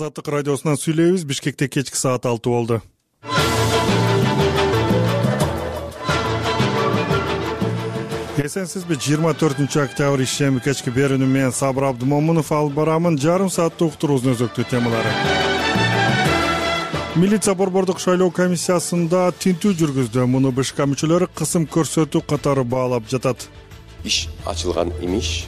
Азаттык радиосунан сүйлөйбүз. Бишкекте кечки саат 6 болду. Эсенсизби? 24-октябрь ишемби кечки берүүнү менен Сабыр Абдымомунов алып барамын. Жарым сааттык уктуруубуздун өзөктүү темалары. Милиция борбордук шайлоо комиссиясында тинтүү жүргүздү. Муну БШК мүчөлөрү кысым көрсөтүү катары баалап жатат. Иш ачылган имиш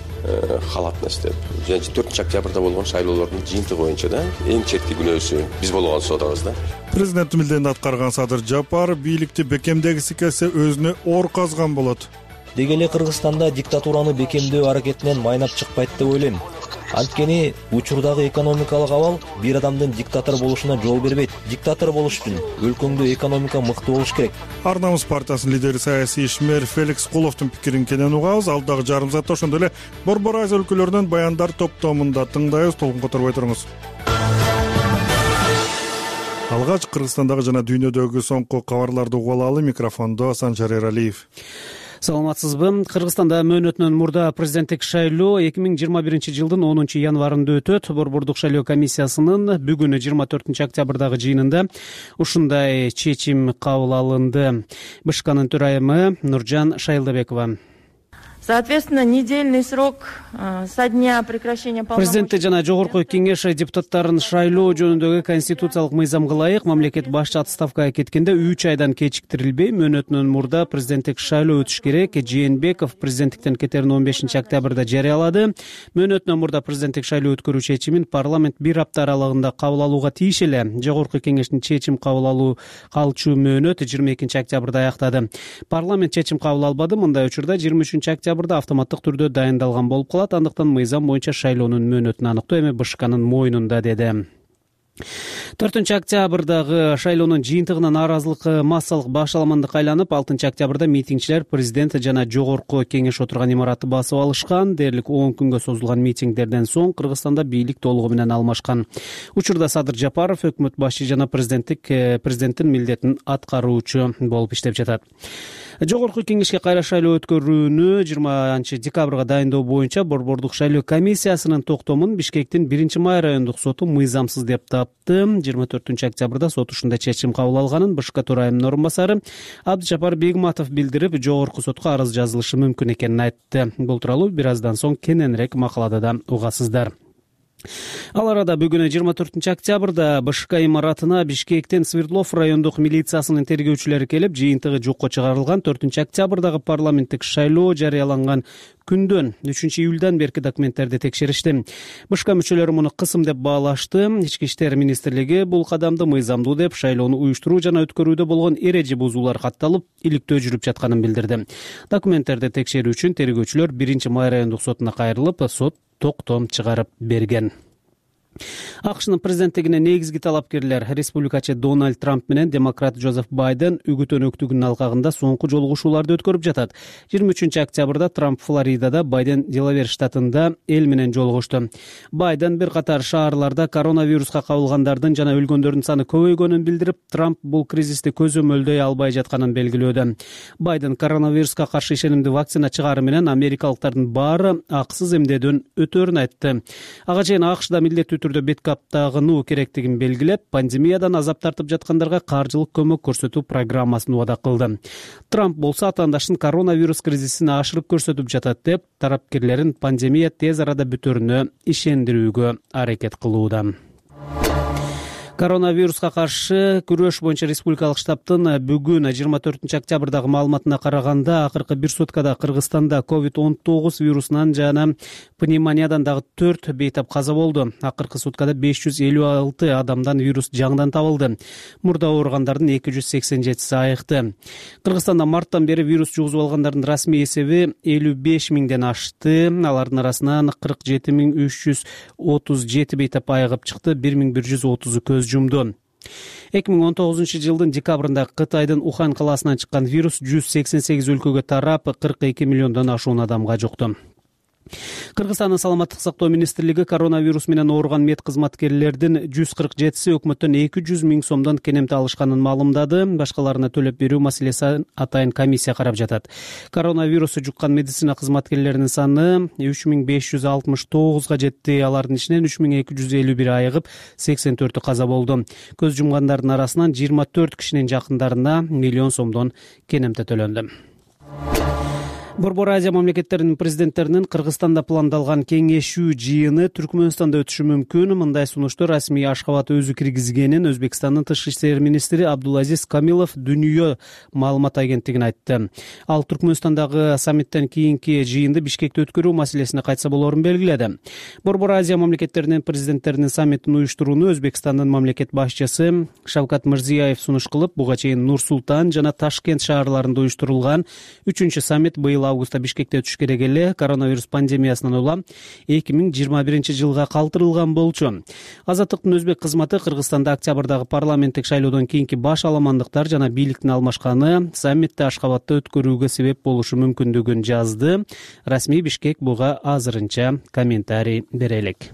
халатность деп. 4-октябрда болгон шайлоолордун жыйынтыгы боюнча да эң четки күнөөсү биз болгон содабыз да. Президент милдетин аткарган Садыр Жапаров бийликти бекемдегиси келсе өзүнө оор казган болот. Деги эле Кыргызстанда диктатураны бекемдөө аракетинен майнап чыкпайт деп ойлойм. Анткени учурдагы экономикалык абал бир адамдын диктатор болушуна жол бербейт. Диктатор болуш үчүн өлкөңдө экономика мыкты болуш керек. Ар намыс партиясынын лидери саясий ишмер Феликс Куловдун пикирин кенен угабыз. Алдагы жарым саатта ошондой эле Борбор Азия өлкөлөрүнөн баяндар топтомунда тыңдайбыз. Толкун которбой туруңуз. Алгач Кыргызстандагы жана дүйнөдөгү соңку кабарларды угуп алалы. Микрофондо Санжар Эралиев. Саламатсызбы? Кыргызстанда мөөнөтүнөн мурда президенттик шайлоо 2021-жылдын 10-январында өтөт. Борбордук шайлоо комиссиясынын бүгүн 24-октябрдагы жыйынында ушундай чечим кабыл алынды. БШКнын төрайымы Нуржан Шайлдабекова. Соответственно, недельный срок со дня прекращения полномочий. Президенtti жана жогорку кеңеш депутаттарын шайлоо жөнүндөгү конституциялык мыйзамга ылайык мамлекет башчы отставкага кеткенде 3 айдан кечиктирилбей мөөнөтүнөн мурда президенттик шайлоо өтүш керек. Жээнбеков президенттиктен кетерин 15-октябрда жарыялады. Мөөнөтүнөн мурда президенттик шайлоо өткөрүү чечимин парламент бир апта аралыгында кабыл алууга тийиш эле. Жогорку кеңештин чечим кабыл алуу калчу мөөнөт 22-октябрда аяктады. Парламент чечим кабыл албады. Мындай учурда 23-октябрда автоматтык түрдө дайындалган болуп калат. Андыктан мыйзам боюнча шайлоонун мөөнөтүн аныктоо эми БШКнын мойнунда, деди. 4-октябрдагы шайлоонун жыйынтыгынан нааразылык массалык башаламандыкка айланып, 6-октябрда митингчилер президент жана жогорку кеңеш отурган имаратты басып алышкан. Дээрлик 10 күнгө созулган митингдерден соң Кыргызстанда бийлик толугу менен алмашкан. Учурда Садыр Жапаров өкмөт башчы жана президенттин милдетин аткаруучу болуп иштеп жатат. Жогорку кеңешке кайра шайлоо өткөрүүнү 20-декабрга дайындоо боюнча борбордук шайлоо комиссиясынын токтомун Бишкектин 1-май райондук соту мыйзамсыз деп тапты. 24-октябрда сот ушундай чечим кабыл алганын БШК төрайымынын орун басары Абдыжапар Бегматов билдирип, жогорку сотко арыз жазылышы мүмкүн экенин айтты. Бул тууралуу бир аздан соң кененирээк макалада да угасыздар. Ал арада бүгүн 24-октябрда БШК имаратына Бишкектен Свердлов райондук милициясынын тергөөчүлөрү келип, жыйынтыгы жокко чыгарылган 4-октябрдагы парламенттик шайлоо жарыяланган күндөн 3-июлдан берки документтерди текшеришти. БШК мүчөлөрү муну кысым деп баалашты. Ички иштер министрлиги бул кадамды мыйзамдуу деп, шайлоону уюштуруу жана өткөрүүдө болгон эреже бузуулар катталып, иликтөө жүрүп жатканын билдирди. Документтерди текшерүү үчүн тергөөчүлөр 1-май райондук сотуна кайрылып, сот токтом чыгарып берген. АКШнын президенттигине негизги талапкерлер республикачы Дональд Трамп менен демократ Джозеф Байден үгүт өнөктүгүнүн алкагында соңку жолугушууларды өткөрүп жатат. 23-октябрда Трамп Флоридада, Байден Делавер штатында эл менен жолугушту. Байден бир катар шаарларда коронавируска кабылгандардын жана өлгөндөрдүн саны көбөйгөнүн билдирип, Трамп бул кризисти көзөмөлдөй албай жатканын белгилөөдө. Байден коронавируска каршы ишенимдүү вакцина чыгаары менен америкалыктардын баары акысыз эмдөөдөн өтөөрүн айтты. Ага чейин АКШда милдеттүү түрдө бет каптагынуу керектигин белгилеп, пандемиядан азап тартып жаткандарга каржылык көмөк көрсөтүү программасын убада кылды. Трамп болсо атаандаштын коронавирус кризисин ашырып көрсөтүп жатат деп, тарапкерлерин пандемия тез арада бүтөрүнө ишендирүүгө аракет кылууда. Коронавируска каршы күрөш боюнча республикалык штабтын бүгүн 24-октябрдагы маалыматына караганда, акыркы бир суткада Кыргызстанда COVID-19 вирусунан жана пневмониядан дагы 4 бейтап каза болду. Акыркы суткада 556 адамдан вирус жаңыдан табылды. Мурда ооругандардын 287си айыкты. Кыргызстанда марттан бери вирус жугузуп алгандардын расмий эсеби 55 миңден ашты. Алардын арасынан 47.337 бейтап айыгып чыкты, 1130 көз жумду. 2019-жылдын декабрында Кытайдын Ухан калаасынан чыккан вирус 188 өлкөгө тарап, 42 миллиондон ашуун адамга жукту. Кыргызстандын саламаттык сактоо министрлиги коронавирус менен ооруган мед кызматкерлердин 147 өкмөттөн 200 миң сомдон кенемти алышканын маалымдады. Башкаларына төлөп берүү маселеси атайын комиссия карап жатат. Коронавирусу жуккан медицина кызматкерлеринин саны 3569 жетти. Алардын ичинен 3251 айыгып, 84 каза болду. Көз жумгандардын арасынан 24 кишинин жакындарына миллион сомдон кенемти төлөндү. Борбор Азия мамлекеттеринин президенттеринин Кыргызстанда пландалган кеңешүү жыйыны Түркмөнстанда өтүшү мүмкүн. Мындай сунушту расмий Ашхабад өзү киргизгенин Өзбекстандын тышкы иштер министри Абдулазиз Камилов Дүнүйө маалымат агенттигине айтты. Ал Түркмөнстандагы саммиттен кийинки жыйынды Бишкекте өткөрүү маселесине кайтса болорун белгиледи. Борбор Азия мамлекеттеринин президенттеринин саммитин уюштурууну Өзбекстандын мамлекет башчысы Шавкат Мирзиёев сунуш кылып, буга чейин Нур-Султан жана Ташкент шаарларында уюштурулган 3-чү саммит быйыл августта Бишкекте өтүш керек эле коронавирус пандемиясынан улам 2021 жылга калтырылган болчу. Азаттыктын өзбек кызматы Кыргызстанда октябрдагы парламенттик шайлоодон кийинки баш аламандыктар жана бийликтин алмашканы саммитти Ашхабадда өткөрүүгө себеп болушу мүмкүндүгүн жазды. Расмий Бишкек буга азырынча комментарий бере элек.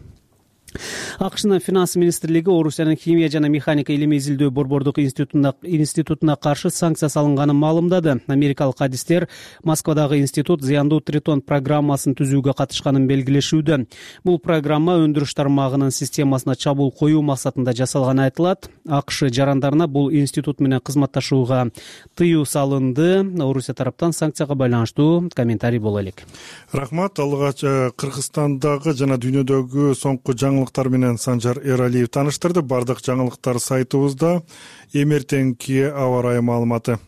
АКШнын финанс министрлиги Орусиянын химия жана механика илими изилдөө борбордук институтуна каршы санкция салынганын маалымдады. Америкалык адистер Москвадагы институт зыяндуу тритон программасын түзүүгө катышканын белгилешүүдө. Бул программа өндүрүш тармагынын системасына чабуул коюу максатында жасалганы айтылат. АКШ жарандарына бул институт менен кызматташууга тыюу салынды. Орусия тараптан санкцияга байланыштуу комментарий боло элек. Рахмат. Алгач Кыргызстандагы жана дүйнөдөгү соңку жаңылыктар менен Санжар Эралиев тааныштырды. Бардык жаңылыктар сайтыбызда. Эмертеңки аба ырайы маалыматы.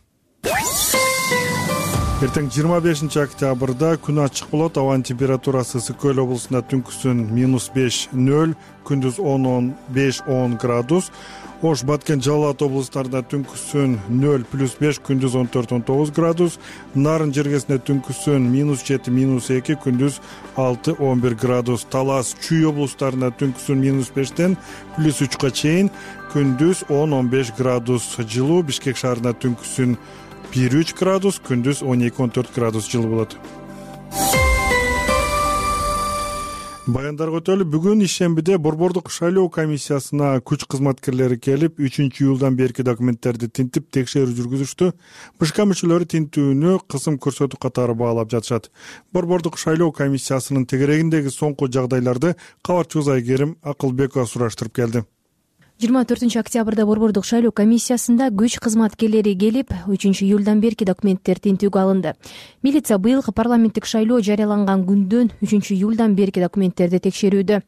Эртең 25 октябрда күн ачык болот. Абанын температурасы Ысык-Көл облусунда түнкүсүн -5-0, күндүз 10-5-10 градус. Ош, Баткен, Жалал абад облустарында түнкүсүн 0+5, күндүз 14-19 градус. Нарын жергесинде түнкүсүн -7-2, күндүз 6-11 градус. Талас, Чүй облустарында түнкүсүн -5тен +3 чейин, күндүз 10-15 градус жылуу. Бишкек шаарында түнкүсүн 1-3 градус, күндүз 12-14 градус жылуу болот. Баяндарга өтөлү. Бүгүн ишембиде борбордук шайлоо комиссиясына күч кызматкерлери келип, 3-июлдан берки документтерди тинтип текшерүү жүргүзүштү. БШК мүчөлөрү тинтүүнү кысым көрсөтүү катары баалап жатышат. Борбордук шайлоо комиссиясынын тегерегиндеги соңку жагдайларды кабарчыбыз Айгерим Акылбекова сураштырып келди. 24 октябрда борбордук шайлоо комиссиясында күч кызматкерлери келип, 3-июлдан берки документтер тинтүүгө алынды. Милиция быйылкы парламенттик шайлоо жарыяланган күндөн 3-июлдан берки документтерди текшерүүдө.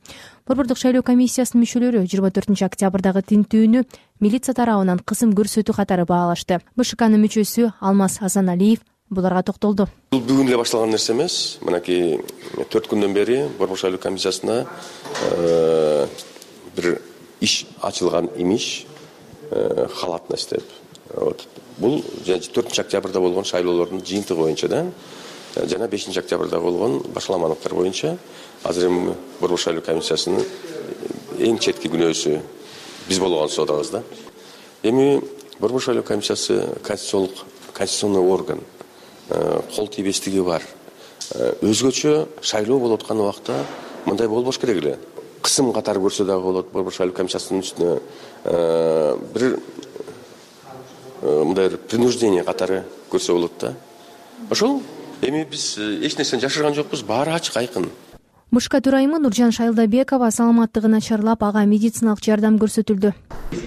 Борбордук шайлоо комиссиясынын мүчөлөрү 24 октябрдагы тинтүүнү милиция тарабынан кысым көрсөтүү катары баалашты. БШКнын мүчөсү Алмаз Асаналиев буларга токтолду. Бул бүгүн эле башталган нерсе эмес. Мынакей 4 күндөн бери борбордук шайлоо комиссиясына бир иш ачылган имиш, халатность деп. Бул 4 октябрда болгон шайлоолордун жыйынтыгы боюнча да, жана 5 октябрда болгон башаламандыктар боюнча азыр эми борбордук шайлоо комиссиясынын эң четки күнөөсү биз болгон содабыз да. Эми борбордук шайлоо комиссиясы конституционный орган, кол тийбестиги бар. Өзгөчө шайлоо болуп аткан убакта мындай болбош керек эле. Кысым катары көрсө дагы болот. Борбордук шайлоо комиссиясынын үстүнө бир мындай принуждение катары көрсө болот да. Ошол эми биз эч нерсени жашырган жокпуз, баары ачык, айкын. БШК төрайымы Нуржан Шайлдабекова саламаттыгы начарлап, ага медициналык жардам көрсөтүлдү.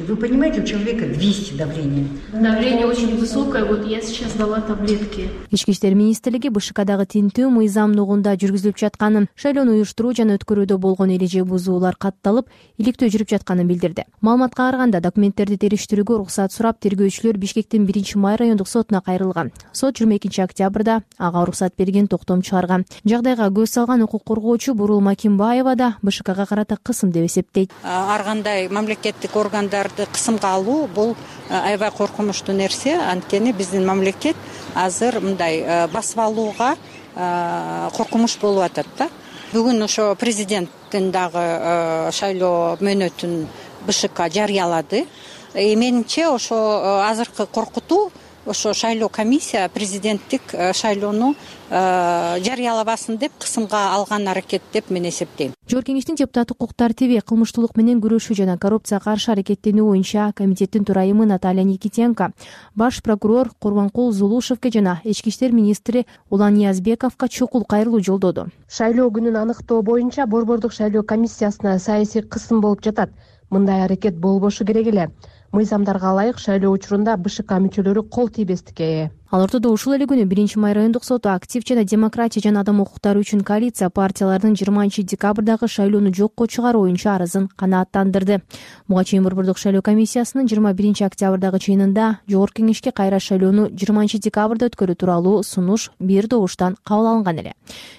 Вы понимаете, у человека 200 давление. Давление очень высокое, вот я сейчас дала таблетки. Ички иштер министрлиги БШКдагы тинтүү мыйзамдуулугунда жүргүзүлүп жатканын, шайлоону уюштуруу жана өткөрүүдө болгон эреже бузуулар катталып, иликтөө жүрүп жатканын билдирди. Маалыматка караганда, документтерди териштирүүгө уруксат сурап, тергөөчүлөр Бишкектин 1-май райондук сотуна кайрылган. Сот 22 октябрда ага уруксат берген, токтом чыгарган. Жагдайга көз салган укук коргоочу Бурул Макимбаева да БШКга карата кысым деп эсептейт. Ар кандай мамлекеттик органдарды кысымга алуу бул аябай коркунучтуу нерсе. Анткени биздин мамлекет азыр мындай басып алууга коркунуч болуп атат да. Бүгүн ошо президенттин дагы шайлоо мөөнөтүн БШК жарыялады. Менимче ошо азыркы коркутуу ошо шайлоо комиссия президенттик шайлоону жарыялабасын деп кысымга алган аракет деп мен эсептейм. Жогорку кеңештин депутаттык укук тартиби, кылмыштуулук менен күрөшүү жана коррупцияга каршы аракеттенүү боюнча комитеттин төрайымы Наталья Никитенко баш прокурор Курбанкул Зулушевке жана ички иштер министри Улан Ниязбековго чукул кайрылуу жолдоду. Шайлоо күнүн аныктоо боюнча Борбордук шайлоо комиссиясына саясий кысым болуп жатат. Мындай аракет болбошу керек эле. Мыйзамдарга ылайык шайлоо учурунда БШК мүчөлөрү кол тийбестикке ээ. Ал ортодо ушул эле күнү 1-май райондук соту актив жана демократия жана адам укуктары үчүн коалиция партиялардын 20-декабрдагы шайлоону жокко чыгаруу боюнча арызын канааттандырды. Буга чейин Борбордук шайлоо комиссиясынын 21-октябрдагы чыйынында Жогорку кеңешке кайра шайлоону 20-декабрда өткөрүү тууралуу сунуш бир добуштан кабыл алынган эле.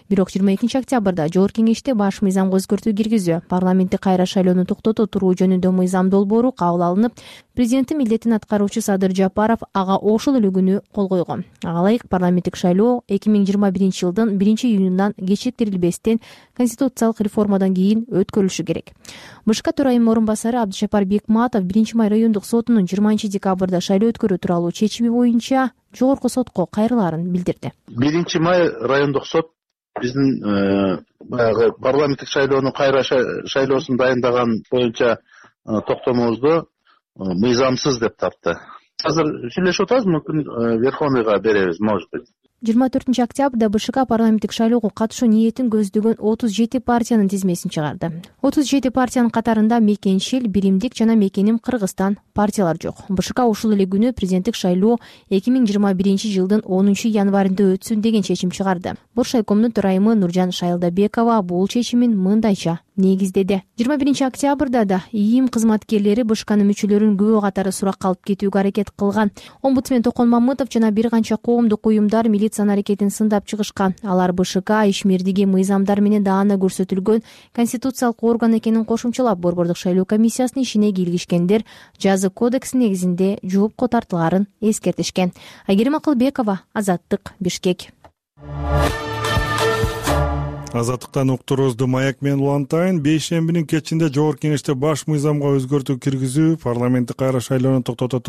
Бирок 22-октябрда Жогорку кеңеште баш мыйзамга өзгөртүү киргизүү, парламенттик кайра шайлоону токтото туруу жөнүндө мыйзам долбоору кабыл алынып, президенттин милдетин аткаруучу Садыр Жапаров ага ошол эле күнү кол койгон. Ага ылайык парламенттик шайлоо 2021-жылдын 1-июнунан кечиктирилбестен конституциялык реформадан кийин өткөрүлүшү керек. БШК төрайымынын орун басары Абдышапар Бекматов 1-май райондук сотунун 20-декабрда шайлоо өткөрүү тууралуу чечими боюнча жогорку сотко кайрылаарын билдирди. 1-май райондук сот биздин баягы парламенттик шайлоонун кайра шайлоосун дайындаган боюнча токтомубузду мыйзамсыз деп тапты. Азыр сүйлөшүп атабыз, мүмкүн Верховныйга беребиз, может быть. 24-октябрда БШК парламенттик шайлоого катышуу ниетин көздөгөн 37 партиянын тизмесин чыгарды. 37 партиянын катарында Мекеншил, Биримдик жана Мекеним Кыргызстан партиялар жок. БШК ушул эле күнү президенттик шайлоо 2021-жылдын 10-январында өтсүн деген чечим чыгарды. Боршайкомдун төрайымы Нуржан Шайылдабекова бул чечимин мындайча негиздеди. 21-октябрда да ИИМ кызматкерлери БШКнын мүчөлөрүн күбө катары суракка алып кетүүгө аракет кылган. Омбудсмен Токон Мамытов жана бир канча коомдук уюмдар милициянын аракетин сындап чыгышкан. Алар БШК ишмердиги мыйзамдар менен даана көрсөтүлгөн конституциялык орган экенин кошумчалап, Борбордук шайлоо комиссиясынын ишине кийлигишкендер жаза кодекси негизинде жоопко тартылаарын эскертишкен. Айгерим Акылбекова, Азаттык, Бишкек. Азаттыктан уктуруубузду Маяк менен улантайын. Бейшембинин кечинде Жогорку кеңеште баш мыйзамга өзгөртүү киргизүү, парламенттик кайра шайлоону токтотуу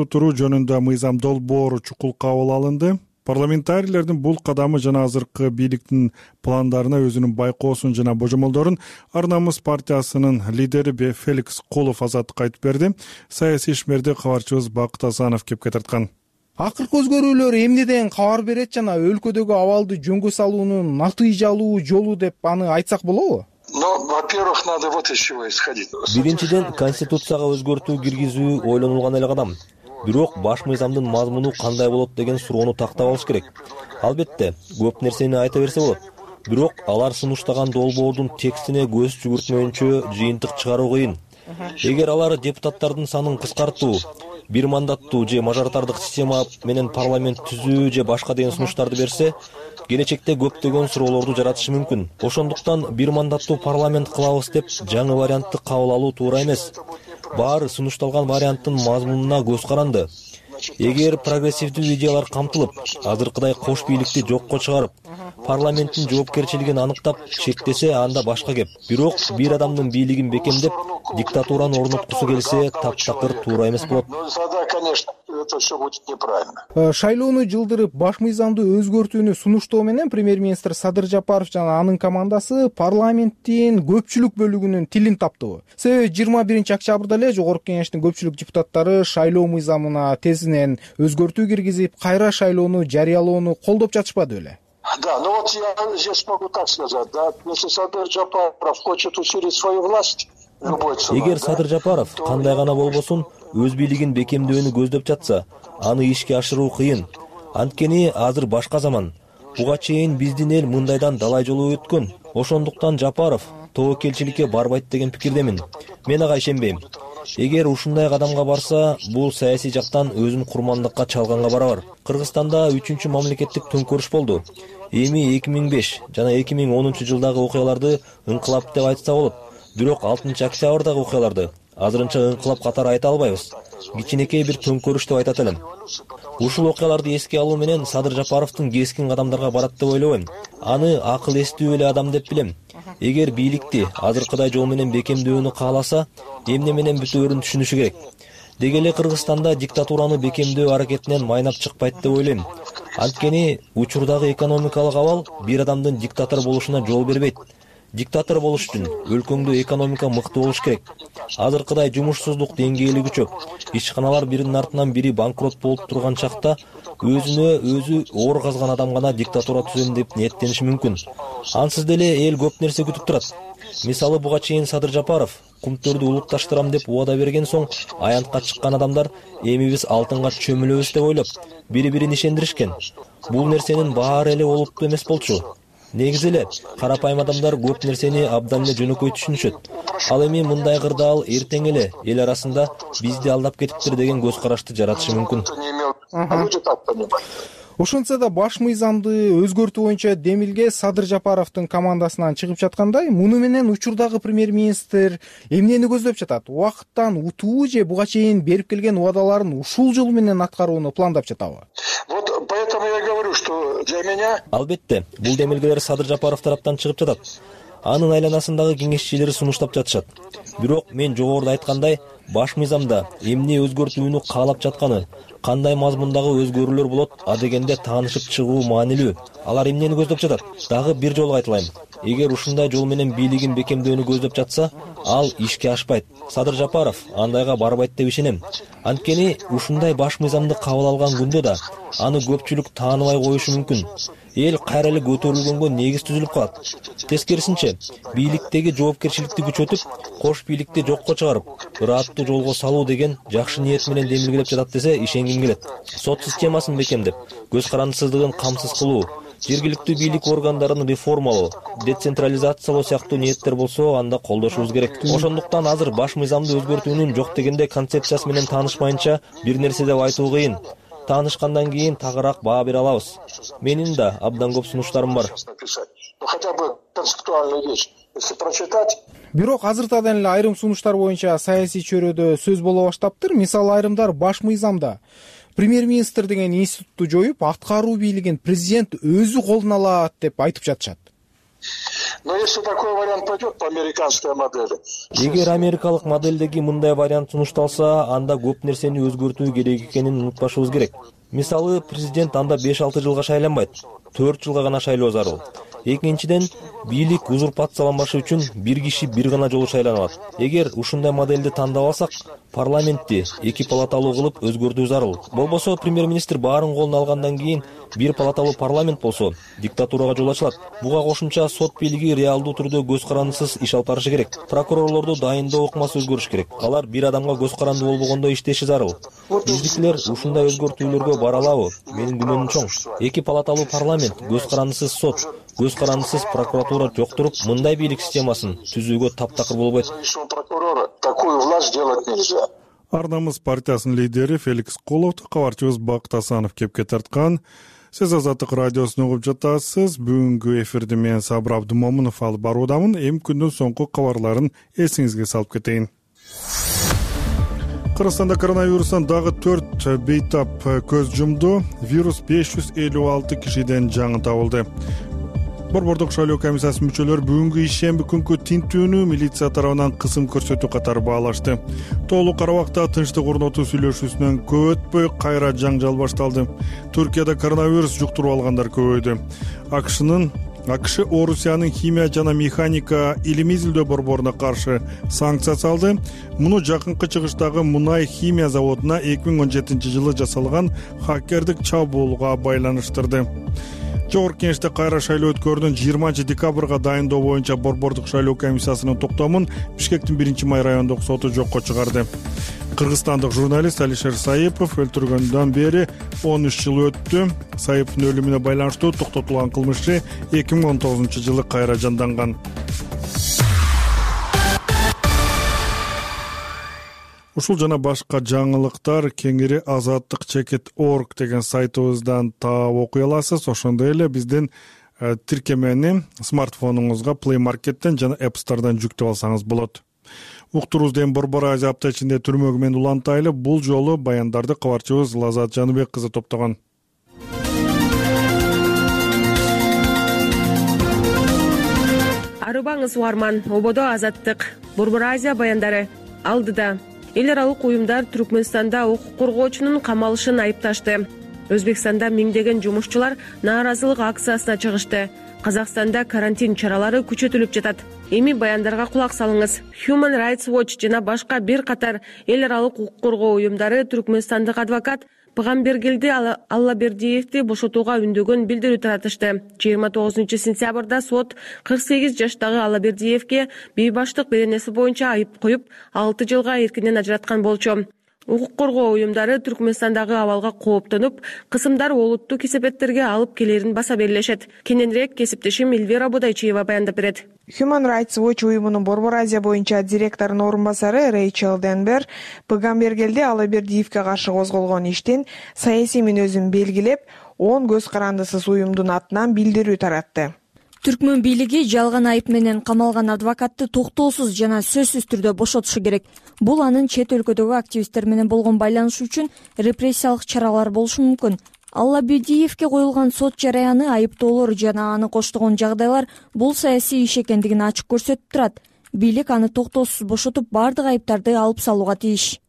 туруу жөнүндө мыйзам долбоору чукул кабыл алынды. Парламентарийлердин бул кадамы жана азыркы бийликтин пландарына өзүнүн байкоосун жана божомолдорун Ар намыс партиясынын лидери Феликс Кулов Азаттыкка айтып берди. Саясий ишмерди кабарчыбыз Бакыт Асанов кепке тарткан. Акыркы өзгөрүүлөр эмнеден кабар берет жана өлкөдөгү абалды жөнгө салуунун натыйжалуу жолу деп аны айтсак болобу? Во-первых, надо вот из чего исходить. Биринчиден, конституцияга өзгөртүү киргизүү ойлонулган эле кадам. Бирок баш мыйзамдын мазмуну кандай болот деген суроону тактап алыш керек. Албетте, көп нерсени айта берсе болот. Бирок алар сунуштаган долбоордун текстине көз жүгүртмөйүнчө жыйынтык чыгаруу кыйын. Эгер алар депутаттардын санын кыскартуу, бир мандаттуу же мажоритардык система менен парламент түзүү же башка деген сунуштарды берсе, келечекте көптөгөн суроолорду жаратышы мүмкүн. Ошондуктан бир мандаттуу парламент кылабыз деп жаңы вариантты кабыл алуу туура эмес. Баары сунушталган варианттын мазмунуна көз каранды. Эгер прогрессивдүү идеялар камтылып, азыркыдай кош бийликти жокко чыгарып, парламенттин жоопкерчилигин аныктап чектесе, анда башка кеп. Бирок бир адамдын бийлигин бекемдеп, диктатураны орноткусу келсе, таптакыр туура эмес болот. Тогда, конечно, это все будет неправильно. Шайлоону жылдырып, баш мыйзамды өзгөртүүнү сунуштоо менен премьер-министр Садыр Жапаров жана анын командасы парламенттин көпчүлүк бөлүгүнүн тилин таптыбы. Себеби 21-октябрда эле Жогорку кеңештин көпчүлүк депутаттары шайлоо мыйзамына тезинен өзгөртүү киргизип, кайра шайлоону жарыялоону колдоп жатышпады беле? Да, ну вот я здесь могу так сказать, да, если Садыр Жапаров хочет усилить свою власть, эгер Садыр Жапаров кандай гана болбосун өз бийлигин бекемдөөнү көздөп жатса, аны ишке ашыруу кыйын. Анткени азыр башка заман. Буга чейин биздин эл мындайдан далай жолу өткөн. Ошондуктан Жапаров тобокелчиликке барбайт деген пикирдемин. Мен ага ишенбейм. Эгер ушундай кадамга барса, бул саясий жактан өзүн курмандыкка чалганга барабар. Кыргызстанда 3-чү мамлекеттик төңкөрүш болду. Эми 2005 жана 2010-жылдагы окуяларды ыңкылап деп айтса болот. Бирок 6-октябрдагы окуяларды азырынча ыңкылап катары айта албайбыз. Кичинекей бир төңкөрүш деп айтат элем. Ушул окуяларды эске алуу менен Садыр Жапаровдун кескин кадамдарга барат деп ойлобойм. Аны акыл эстүү эле адам деп билем. Эгер бийликти азыркыдай жол менен бекемдөөнү кааласа, эмне менен бүтөөрүн түшүнүшү керек. Деги эле Кыргызстанда диктатураны бекемдөө аракетинен майнап чыкпайт деп ойлойм. Анткени учурдагы экономикалык абал бир адамдын диктатор болушуна жол бербейт. Диктатор болуш үчүн өлкөңдө экономика мыкты болуш керек. Азыркыдай жумушсуздук деңгээли күчөп, ишканалар биринин артынан бири банкрот болуп турган чакта өзүнө өзү оор казган адам гана диктатура түзөм деп ниеттениши мүмкүн. Ансыз деле эл көп нерсе күтүп турат. Мисалы, буга чейин Садыр Жапаров кумтөрдү улутташтырам деп убада берген соң аянтка чыккан адамдар эми биз алтынга чөмүлөбүз деп ойлоп бири-бирин ишендиришкен. Бул нерсенин баары эле олуттуу эмес болчу. Негизи эле карапайым адамдар көп нерсени абдан эле жөнөкөй түшүнүшөт. Ал эми мындай кырдаал эртең эле эл арасында бизди алдап кетиптир деген көз карашты жаратышы мүмкүн. Ошентсе да баш мыйзамды өзгөртүү боюнча демилге Садыр Жапаровдун командасынан чыгып жаткандай, муну менен учурдагы премьер-министр эмнени көздөп жатат? Убакыттан утуу же буга чейин берип келген убадаларын ушул жол менен аткарууну пландап жатабы? Вот поэтому я говорю, что для меня... Албетте, бул демилгелер Садыр Жапаров тараптан чыгып жатат. Анын айланасындагы кеңешчилери сунуштап жатышат. Бирок мен жогоруда айткандай, баш мыйзамда эмне өзгөртүүнү каалап жатканы, кандай мазмундагы өзгөрүүлөр болот, адегенде таанышып чыгуу маанилүү. Алар эмнени көздөп жатат? Дагы бир жолу айтылайм. Эгер ушундай жол менен бийлигин бекемдөөнү көздөп жатса, ал ишке ашпайт. Садыр Жапаров андайга барбайт деп ишенем. Анткени ушундай баш мыйзамды кабыл алган күндө да аны көпчүлүк тааныбай коюшу мүмкүн. Эл кайра эле көтөрүлгөнгө негиз түзүлүп калат. Тескерисинче, бийликтеги жоопкерчиликти күчөтүп, кош бийликти жокко чыгарып, ырааттуу жолго салуу деген жакшы ниет менен демилгелеп жатат десе ишенгим келет. Сот системасын бекемдеп, көз карандысыздыгын камсыз кылуу, жергиликтүү бийлик органдарын реформалоо, децентрализациялоо сыяктуу ниеттер болсо, анда колдошубуз керек. Ошондуктан азыр баш мыйзамды өзгөртүүнүн жок дегенде концепциясы менен таанышмайынча бир нерсе деп айтуу кыйын. Таанышкандан кийин тагыраак баа бере алабыз. Менин да абдан көп сунуштарым бар. Хотя бы концептуальную вещь, если прочитать. Бирок азыртадан эле айрым сунуштар боюнча саясий чөйрөдө сөз боло баштаптыр. Мисалы, айрымдар баш мыйзамда премьер-министр деген институтту жоюп, аткаруу бийлигин президент өзү колуна алат деп айтып жатышат. Но если такой вариант пойдет по американской модели. Эгер америкалык модельдеги мындай вариант сунушталса, анда көп нерсени өзгөртүү керек экенин унутпашыбыз керек. Мисалы, президент анда 5-6 жылга шайланбайт, 4 жылга гана шайлоо зарыл. Экинчиден, бийлик узурпацияланбашы үчүн бир киши бир гана жолу шайланат. Эгер ушундай модельди тандап алсак, парламентти 2 палаталуу кылып өзгөртүү зарыл. Болбосо премьер-министр баарын колуна алгандан кийин бир палаталуу парламент болсо, диктатурага жол ачылат. Буга кошумча сот бийлиги реалдуу түрдө көз карандысыз иш алып барышы керек. Прокурорлорду дайындоо ыкмасы өзгөрүш керек. Алар бир адамга көз каранды болбогондо иштеши зарыл. Биздикилер ушундай өзгөртүүлөргө бара алабы? Менин күмөнүм чоң. 2 палаталуу парламент, көз карандысыз сот, көз карандысыз прокуратура жоктуруп, мындай бийлик системасын түзүүгө таптакыр болбойт. Такую власть делать нельзя. Ар-намыс партиясынын лидери Феликс Коловду кабарчыбыз Бакыт Асанов кепке тарткан. Сиз Азаттык радиосун угуп жатасыз. Бүгүнкү эфирди мен Сабыр Абдымомунов алып баруудамын. Эми күндүн соңку кабарларын эсиңизге салып кетейин. Кыргызстанда коронавирустан дагы 4 бейтап көз жумду. Вирус 556 кишиден жаңы табылды. Борбордук шайлоо комиссиясынын мүчөлөрү бүгүнкү ишемби күнкү тинтүүнү милиция тарабынан кысым көрсөтүү катары баалашты. Тоолуу Карабакта тынчтык орнотуу сүйлөшүүсүнөн көп өтпөй кайра жаңжал башталды. Түркияда коронавирус жуктуруп алгандар көбөйдү. АКШ Орусиянын химия жана механика илимий изилдөө борборуна каршы санкция салды. Муну жакынкы чыгыштагы мунай химия заводуна 2017-жылы жасалган хакердик чабуулга байланыштырды. Жогорку Кеңеште кайра шайлоо өткөрүүнүн 20 декабрга дайындоо боюнча борбордук шайлоо комиссиясынын токтомун Бишкектин 1-Май райондук соту жокко чыгарды. Кыргызстандык журналист Алишер Саипов өлтүргөндөн бери 13 жыл өттү. Саиповдун өлүмүнө байланыштуу токтотулган кылмышчы 2019-жылы кайра жанданган. Ушул жана башка жаңылыктар кеңири azattik.org деген сайтыбыздан таап окуй аласыз. Ошондой эле биздин тиркемени смартфонуңузга Play Market'тен жана App Store'дан жүктөп алсаңыз болот. Уктуруз ден Борбор Азия апта ичинде түрмөгү менен улантайлы. Бул жолу баяндарды кабарчыбыз Лазат Жаныбек кызы топтогон. Арыбаңыз угарман, ободо Азаттык. Борбор Азия баяндары алдыда. эл аралык уюмдар Түркмөнстанда укук коргоочунун камалышын айыпташты. Өзбекстанда миңдеген жумушчулар нааразылык акциясына чыгышты. Казакстанда карантин чаралары күчөтүлүп жатат. Эми баяндарга кулак салыңыз. Human Rights Watch жана башка бир катар эл аралык укук коргоо уюмдары түркмөнстандык адвокат Пыгамбергелди Аллабердиевди бошотууга үндөгөн билдирүү таратышты. 29 сентябрда сот 48 жаштагы Аллабердиевге бейбаштык беренеси боюнча айып коюп, 6 жылга эркинен ажыраткан болчу. Укук коргоо уюмдары Түркмөнстандагы абалга кооптонуп, кысымдар олуттуу кесепеттерге алып келерин баса белгилешет. Кененирээк кесиптешим Эльвира Будайчиева баяндап берет. Human Rights Watch уюмунун Борбор Азия боюнча директорунун орун басары Рэйчел Денбер Пыгамбергелди Аллабердиевге каршы козголгон иштин саясий мүнөзүн белгилеп, 10 көз карандысыз уюмдун атынан билдирүү таратты. Түркмөн бийлиги жалган айып менен камалган адвокатты токтоосуз жана сөзсүз түрдө бошотушу керек. Бул анын чет өлкөдөгү активисттер менен болгон байланышы үчүн репрессиялык чаралар болушу мүмкүн. Аллабердиевге коюлган сот жараяны, айыптоолор жана аны коштогон жагдайлар бул саясий иш экендигин ачык көрсөтүп турат. Бийлик аны токтоосуз бошотуп, бардык айыптарды алып салууга тийиш,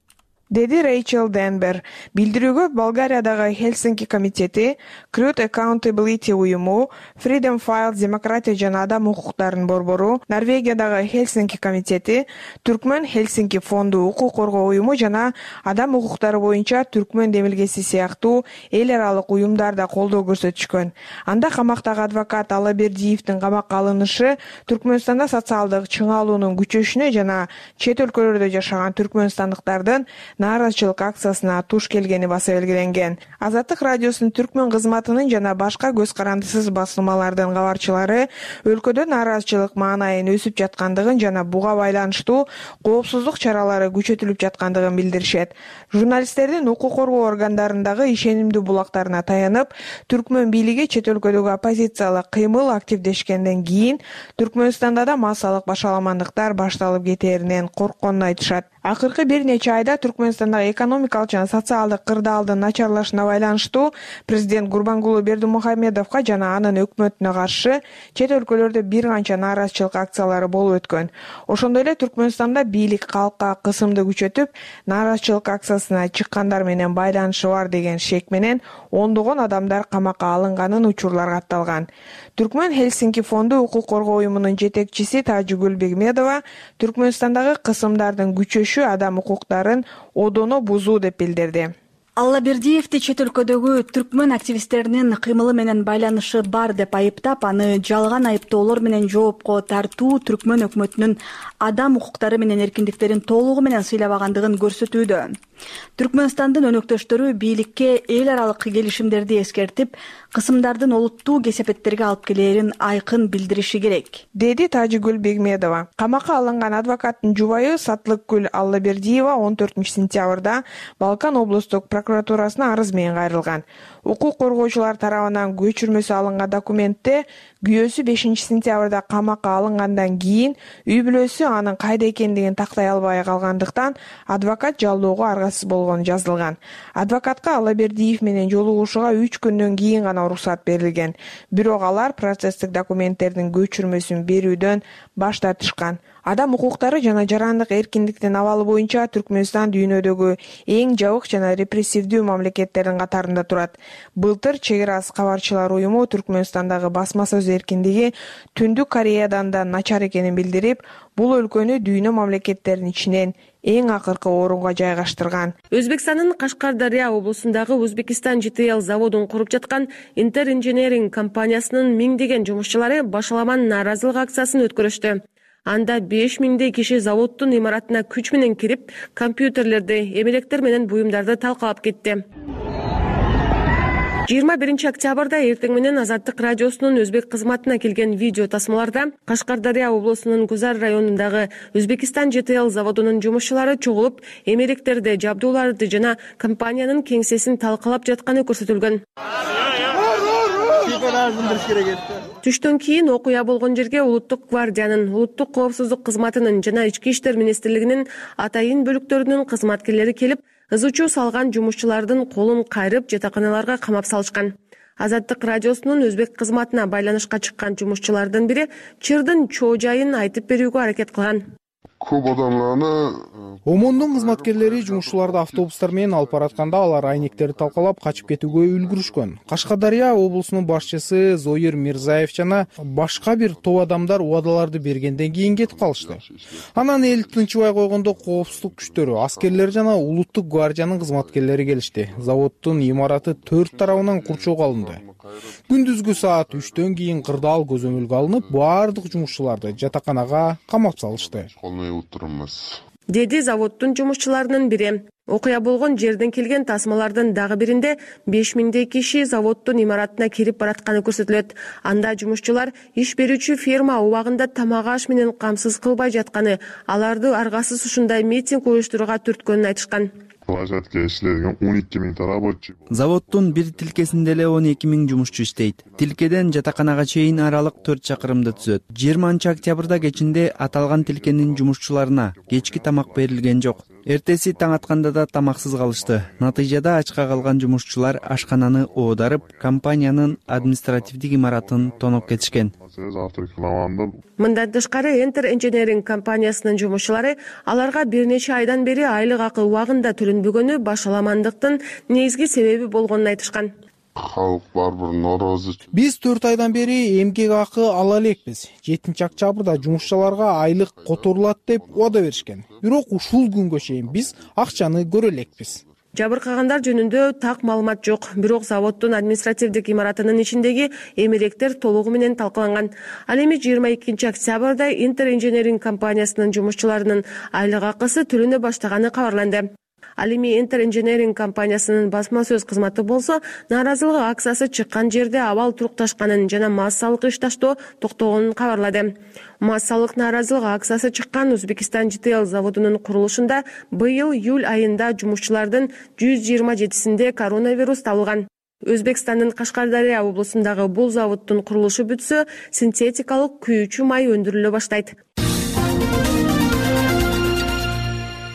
деди Рэйчел Денбер. Билдирүүгө Болгариядагы Хелсинки комитети, Crude Accountability уюму, Freedom Files демократия жана адам укуктарынын борбору, Норвегиядагы Хелсинки комитети, Түркмөн Хелсинки фонду укук коргоо уюму жана адам укуктары боюнча Түркмөн демилгеси сыяктуу эл аралык уюмдар да колдоо көрсөтүшкөн. Анда камактагы адвокат Аллабердиевдин камакка алынышы Түркмөнстанда социалдык чыңалуунун күчөшүнө жана чет өлкөлөрдө жашаган түркмөнстандыктардын нааразычылык акциясына туш келгени баса белгиленген. Азаттык радиосунун Түркмөн кызматынын жана башка көз карандысыз басылмалардын кабарчылары өлкөдө нааразычылык маанайын өсүп жаткандыгын жана буга байланыштуу коопсуздук чаралары күчөтүлүп жаткандыгын билдиришет. Журналисттердин укук коргоо органдарындагы ишенимдүү булактарына таянып, Түркмөн бийлиги чет өлкөдөгү оппозициялык кыймыл активдешкенден кийин Түркмөнстанда да массалык башаламандыктар башталып кетээринен коркконун айтышат. Акыркы бир нече айда Түркмөнстандагы экономикалык жана социалдык кырдаалдын начарлашына байланыштуу президент Гурбангулы Бердимухамедовго жана анын өкмөтүнө каршы чет өлкөлөрдө бир канча нааразычылык акциялары болуп өткөн. Ошондой эле Түркмөнстанда бийлик калкка кысымды күчөтүп, нааразычылык акциясына чыккандар менен байланышы бар деген шек менен ондогон адамдар камакка алынганын учурлар катталган. Түркмөн Хелсинки фонду укук коргоо уюмунун жетекчиси Тажигүл Бегмедова Түркмөнстандагы кысымдардын күчөшү адам укуктарын одоно бузуу деп билдирди. Аллабердиевди чет өлкөдөгү түркмөн активисттеринин кыймылы менен байланышы бар деп айыптап, аны жалган айыптоолор менен жоопко тартуу Түркмөн өкмөтүнүн адам укуктары менен эркиндиктерин толугу менен сыйлабагандыгын көрсөтүүдө. Түркмөнстандын өнөктөштөрү бийликке эл аралык келишимдерди эскертип, кысымдардын олуттуу кесепеттерге алып келээрин айкын билдириши керек, деди Тажигүл Бегмедова. Камакка алынган адвокаттын жубайы Сатлыкгүл Аллабердиева 14 сентябрда Балкан облустук прокуратурасына арыз менен кайрылган. Укук коргоочулар тарабынан көчүрмөсү алынган документте күйөөсү 5 сентябрда камакка алынгандан кийин үй бүлөсү анын кайда экендигин тактай албай калгандыктан адвокат жалоого аргасыз болгону жазылган. Адвокатка Аллабердиев менен жолугушууга 3 күндөн кийин гана уруксат берилген. Бирок алар процесстик документтердин көчүрмөсүн берүүдөн баш тартышкан. Адам укуктары жана жарандык эркиндиктин абалы боюнча Түркмөнстан дүйнөдөгү эң жабык жана репрессивдүү мамлекеттердин катарында турат. Былтыр Чек ара кабарчылар уюму Түркмөнстандагы басма сөз эркиндиги Түндүк Кореядан да начар экенин билдирип, бул өлкөнү дүйнө мамлекеттеринин ичинен эң акыркы орунга жайгаштырган. Өзбекстандын Кашкар-Дарья облусундагы Узбекистан ЖТЛ заводун куруп жаткан Inter Engineering компаниясынын миңдеген жумушчулары башаламан нааразылык акциясын өткөрүштү. Анда 5000 киши заводдун имаратына күч менен кирип, компьютерлерди, эмелектер менен буюмдарды талкалап кетти. 21 октябрда эртең менен Азаттык радиосунун өзбек кызматына келген видео тасмаларда Кашкар-Дарья облусунун Гузар районундагы Өзбекистан ЖТЛ заводунун жумушчулары чогулуп, эмелектерди, жабдууларды жана компаниянын кеңсесин талкалап жатканы көрсөтүлгөн. Түштөн кийин окуя болгон жерге Улуттук гвардиянын, Улуттук коопсуздук кызматынын жана Ички иштер министрлигинин атайын бөлүктөрүнүн кызматкерлери келип, ызычуу салган жумушчулардын колун кайрып, жатаканаларга камап салышкан. Азаттык радиосунун өзбек кызматына байланышка чыккан жумушчулардын бири чырдын чоо жайын айтып берүүгө аракет кылган. көп адамдарды ОМОНдун кызматкерлери жумушчуларды автобустар менен алып баратканда алар айнектерди талкалап качып кетүүгө үлгүрүшкөн. Кашкадария облусунун башчысы Зоир Мирзаев жана башка бир топ адамдар убадаларды бергенден кийин кетип калышты. Анан эл тынчыбай койгондо коопсуздук күчтөрү, аскерлер жана улуттук гвардиянын кызматкерлери келишти. Заводдун имараты 4 тарабынан курчоого алынды. Күндүзгү саат 3төн кийин кырдаал көзөмөлгө алынып, баардык жумушчуларды жатаканага камап салышты, деди заводдун жумушчуларынын бири. Окуя болгон жерден келген тасмалардын дагы биринде 5000 киши заводдун имаратына кирип баратканы көрсөтүлөт. Анда жумушчулар иш берүүчү ферма убагында тамак аш менен камсыз кылбай жатканы, аларды аргасыз ушундай митинг уюштурууга түрткөнүн айтышкан. Площадка иштеген 12 000 рабочий. Заводдун бир тилкесинде эле 12 000 жумушчу иштейт. Тилкеден жатаканага чейин аралык 4 чакырымды түзөт. 20-октябрда кечинде аталган тилкенин жумушчуларына кечки тамак берилген жок. Эртеси таң атканда да тамаксыз калышты. Натыйжада ачка калган жумушчулар ашкананы оодарып, компаниянын административдик имаратын тоноп кетишкен. Мындан тышкары Enter Engineering компаниясынын жумушчулары аларга бир нече айдан бери айлык акы убагында төлөнбөгөнү башаламандыктын негизги себеби болгонун айтышкан. Халык барбыр нороозу. Биз 4 айдан бери эмгек акы ала элекпиз. 7-октябрда жумушчуларга айлык которулат деп убада беришкен. Бирок ушул күнгө чейин биз акчаны көрө элекпиз. Жабыркагандар жөнүндө так маалымат жок. Бирок заводдун административдик имаратынын ичиндеги эмеректер толугу менен талкаланган. Ал эми 22-октябрда Enter Engineering компаниясынын жумушчуларынын айлык акысы төлөнө баштаганы кабарланды. Ал эми Enter Engineering компаниясынын басма сөз кызматы болсо, нааразылык акциясы чыккан жерде абал турукташканын жана массалык ишташтоо токтогонун кабарлады. Массалык нааразылык акциясы чыккан Узбекистан ЖТЛ заводунун курулушунда быйыл июль айында жумушчулардын 127синде коронавирус табылган. Өзбекстандын Кашкардария облусундагы бул заводдун курулушу бүтсө, синтетикалык күйүүчү май өндүрүлө баштайт.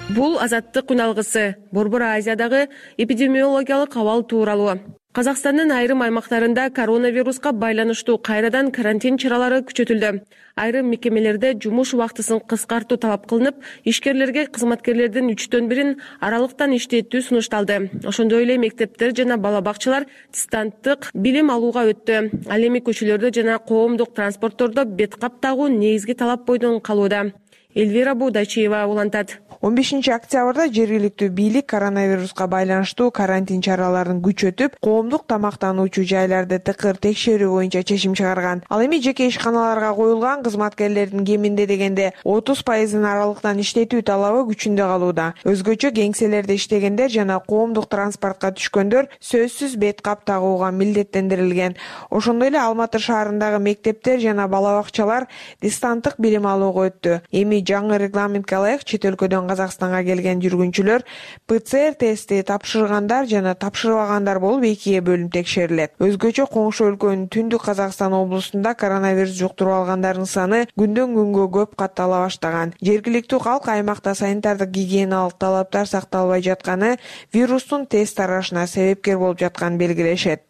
Бул Азаттык үналгысы. Борбор Азиядагы эпидемиологиялык абал тууралуу. Казакстандын айрым аймактарында коронавируска байланыштуу кайрадан карантин чаралары күчөтүлдү. Айрым мекемелерде жумуш убактысын кыскартуу талап кылынып, ишкерлерге кызматкерлердин 3/1 аралыктан иштетүү сунушталды. Ошондой эле мектептер жана бала бакчалар дистанттык билим алууга өттү. Ал эми көчөлөрдө жана коомдук транспорттордо бет кап тагуу негизги талап бойдон калууда. Эльвира Будачиева улантат. 15-октябрда жергиликтүү бийлик коронавируска байланыштуу карантин чараларын күчөтүп, коомдук тамактануучу жайларды тыкыр текшерүү боюнча чечим чыгарган. Ал эми жеке ишканаларга коюлган кызматкерлердин кеминде дегенде 30% аралыктан иштетүү талабы күчүндө калууда. Өзгөчө кеңселерде иштегендер жана коомдук транспортко түшкөндөр сөзсүз бет кап тагууга милдеттендирилген. Ошондой эле Алматы шаарындагы мектептер жана бала бакчалар дистанттык билим алууга өттү. Эми жаңы регламентке ылайык чет өлкөдөн Казакстанга келген жүргүнчүлөр ПЦР тести тапшыргандар жана тапшырбагандар болуп экиге бөлүнүп текшерилет. Өзгөчө коңшу өлкөнүн Түндүк Казакстан облусунда коронавирус жуктуруп алгандардын саны күндөн күнгө көп каттала баштаган. Жергиликтүү калк аймакта санитардык гигиеналык талаптар сакталбай жатканы вирустун тез тарашына себепкер болуп жатканын белгилешет.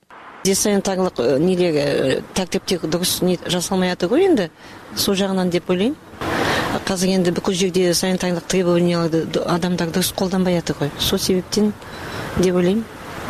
Санитарлык тартипти дурус жасалмай атат го энди. Сол жагынан деп ойлойм. Казыр энди бүкүл жерде санитарлык требованияларды адамдар дурус колдонбай атат го. Сол себептен деп ойлойм.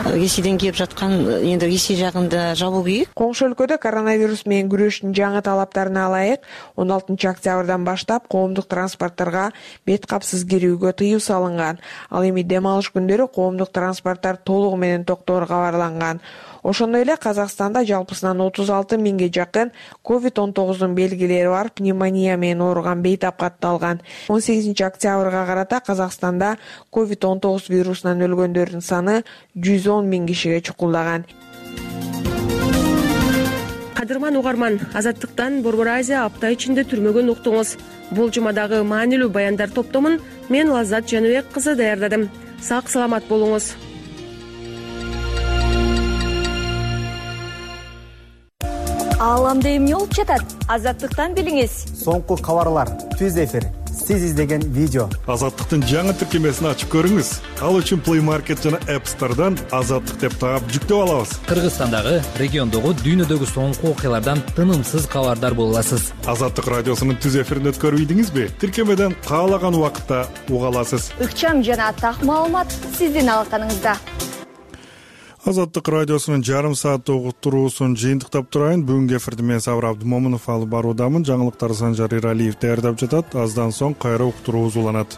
Ресейден келип жаткан энди Ресей жагында жабуу керек. Коңшу өлкөдө коронавирус менен күрөштүн жаңы талаптарына ылайык 16-октябрдан баштап коомдук транспортторго бет капсыз кирүүгө тыюу салынган. Ал эми дем алыш күндөрү коомдук транспорттор толугу менен токтоору кабарланган. Ошондой эле Казакстанда жалпысынан 36 000ге жакын COVID-19 белгилери бар пневмония менен ооруган бейтап катталган. 18-октябрга карата Казакстанда COVID-19 вирусунан өлгөндөрдүн саны 110 000 кишиге чукулдаган. Кадырман угарман, Азаттыктан Борбор Азия апта ичинде түрмөгөн уктуңуз. Бул жумадагы маанилүү баяндар топтомун мен Лаззат Жаныбек кызы даярдадым. Сак саламат болуңуз. Ааламда эмне болуп жатат? Азаттыктан билиңиз. Соңку кабарлар, түз эфир, сиз издеген видео. Азаттыктын жаңы тиркемесин ачып көрүңүз. Ал үчүн Play Market жана App Store'дан Азаттык деп таап жүктөп алабыз. Кыргызстандагы, региондогу, дүйнөдөгү соңку окуялардан тынымсыз кабардар боло аласыз. Азаттык радиосунун түз эфирин өткөрбөйдүңүзбү? Тиркемеден каалаган убакытта уга аласыз. Ыкчам жана так маалымат сиздин алаканыңызда. Азаттык радиосунун жарым сааттык уктуруусун жыйынтыктап турайын. Бүгүнкү эфирди мен Сабыр Абдымомунов алып баруудамын. Жаңылыктарды Санжар Иралиев даярдап жатат. Аздан соң кайра уктуруубуз уланат.